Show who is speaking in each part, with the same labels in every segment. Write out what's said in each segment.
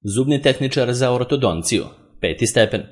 Speaker 1: Zubni tehničar za ortodonciju, 5. stepen.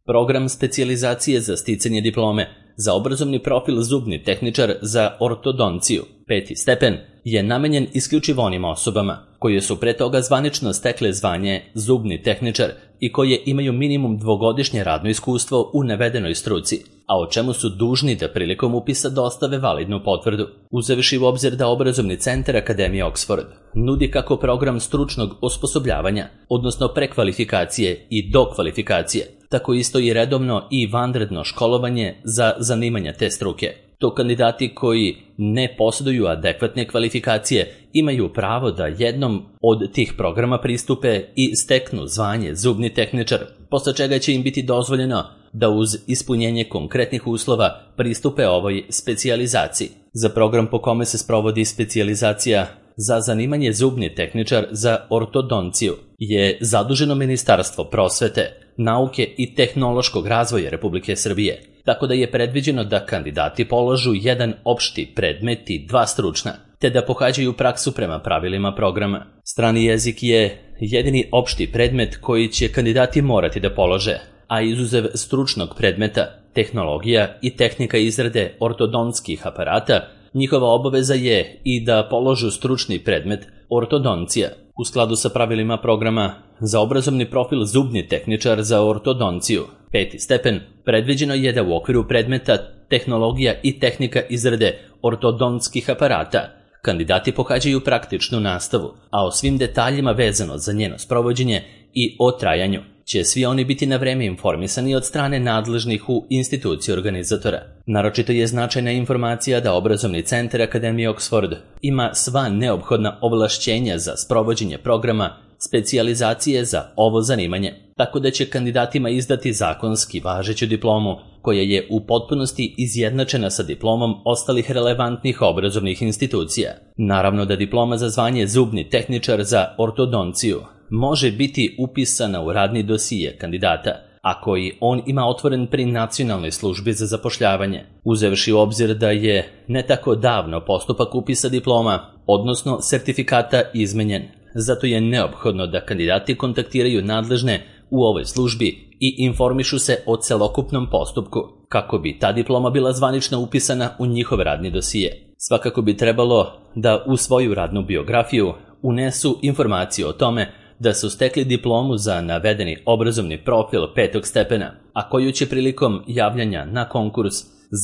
Speaker 1: Program specijalizacije za sticanje diplome za obrazovni profil zubni tehničar za ortodonciju, 5. stepen, je namenjen isključivo onim osobama koje su pre toga zvanično stekle zvanje zubni tehničar i koje imaju minimum 2-godišnje radno iskustvo u navedenoj struci, a o čemu su dužni da prilikom upisa dostave validnu potvrdu. Uzevši u obzir da obrazovni centar Akademije Oxford nudi kako program stručnog osposobljavanja, odnosno prekvalifikacije i dokvalifikacije, tako isto i redovno i vanredno školovanje za zanimanja te struke. To kandidati koji ne posjeduju adekvatne kvalifikacije imaju pravo da jednom od tih programa pristupe i steknu zvanje zubni tehničar, posle čega će im biti dozvoljeno da uz ispunjenje konkretnih uslova pristupe ovoj specijalizaciji. Za program po kome se sprovodi specijalizacija za zanimanje zubni tehničar za ortodonciju je zaduženo Ministarstvo prosvete, nauke i tehnološkog razvoja Republike Srbije, tako da je predviđeno da kandidati polažu jedan opšti predmet i 2 stručna, te da pohađaju praksu prema pravilima programa. Strani jezik je jedini opšti predmet koji će kandidati morati da polože, a izuzev stručnog predmeta, tehnologija i tehnika izrade ortodontskih aparata, njihova obaveza je i da položu stručni predmet ortodoncija. U skladu sa pravilima programa za obrazovni profil zubni tehničar za ortodonciju, 5. stepen, predviđeno je da u okviru predmeta tehnologija i tehnika izrade ortodontskih aparata kandidati pohađaju praktičnu nastavu, a o svim detaljima vezano za njeno sprovođenje i o trajanju će svi oni biti na vreme informisani od strane nadležnih u instituciji organizatora. Naročito je značajna informacija da obrazovni centar Akademije Oxford ima sva neophodna ovlašćenja za sprovođenje programa specijalizacije za ovo zanimanje, tako da će kandidatima izdati zakonski važeću diplomu koja je u potpunosti izjednačena sa diplomom ostalih relevantnih obrazovnih institucija. Naravno da diploma za zvanje zubni tehničar za ortodonciju može biti upisana u radni dosije kandidata, a koji on ima otvoren pri Nacionalnoj službi za zapošljavanje, uzevši u obzir da je ne tako davno postupak upisa diploma, odnosno sertifikata, izmenjen. Zato je neophodno da kandidati kontaktiraju nadležne u ovoj službi i informišu se o celokupnom postupku, kako bi ta diploma bila zvanično upisana u njihov radni dosije. Svakako bi trebalo da u svoju radnu biografiju unesu informaciju o tome da su stekli diplomu za navedeni obrazovni profil 5. stepena, a koju će prilikom javljanja na konkurs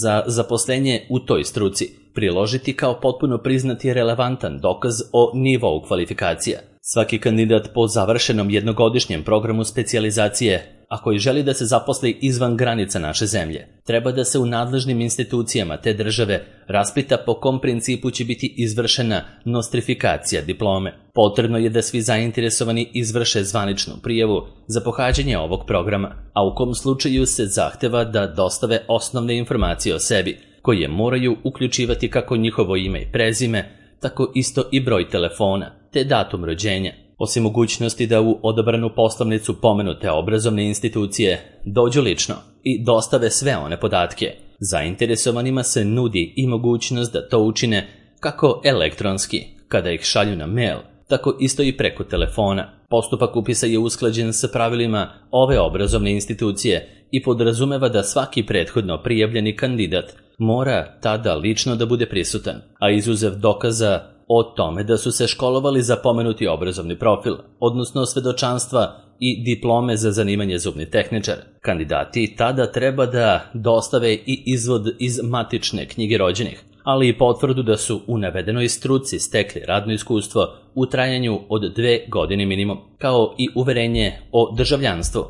Speaker 1: za zaposlenje u toj struci priložiti kao potpuno priznati relevantan dokaz o nivou kvalifikacija. Svaki kandidat po završenom jednogodišnjem programu specijalizacije, a koji želi da se zaposli izvan granica naše zemlje, treba da se u nadležnim institucijama te države raspita po kom principu će biti izvršena nostrifikacija diplome. Potrebno je da svi zainteresovani izvrše zvaničnu prijavu za pohađanje ovog programa, a u kom slučaju se zahteva da dostave osnovne informacije o sebi, koje moraju uključivati kako njihovo ime i prezime, tako isto i broj telefona, te datum rođenja. Osim mogućnosti da u odabranu poslovnicu pomenute obrazovne institucije dođu lično i dostave sve one podatke, zainteresovanima se nudi i mogućnost da to učine kako elektronski, kada ih šalju na mail, tako isto i preko telefona. Postupak upisa je usklađen sa pravilima ove obrazovne institucije i podrazumeva da svaki prethodno prijavljeni kandidat mora tada lično da bude prisutan, a izuzev dokaza o tome da su se školovali za pomenuti obrazovni profil, odnosno svedočanstva i diplome za zanimanje zubni tehničar, kandidati tada treba da dostave i izvod iz matične knjige rođenih, ali i potvrdu da su u navedenoj struci stekli radno iskustvo u trajanju od 2 godine minimum, kao i uverenje o državljanstvu.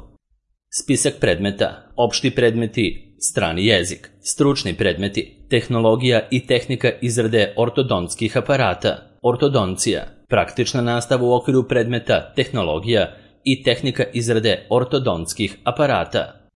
Speaker 1: Spisak predmeta, opšti predmeti, strani jezik, stručni predmeti, tehnologija i tehnika izrade ortodontskih aparata, ortodoncija, praktična nastava u okviru predmeta tehnologija i tehnika izrade ortodontskih aparata.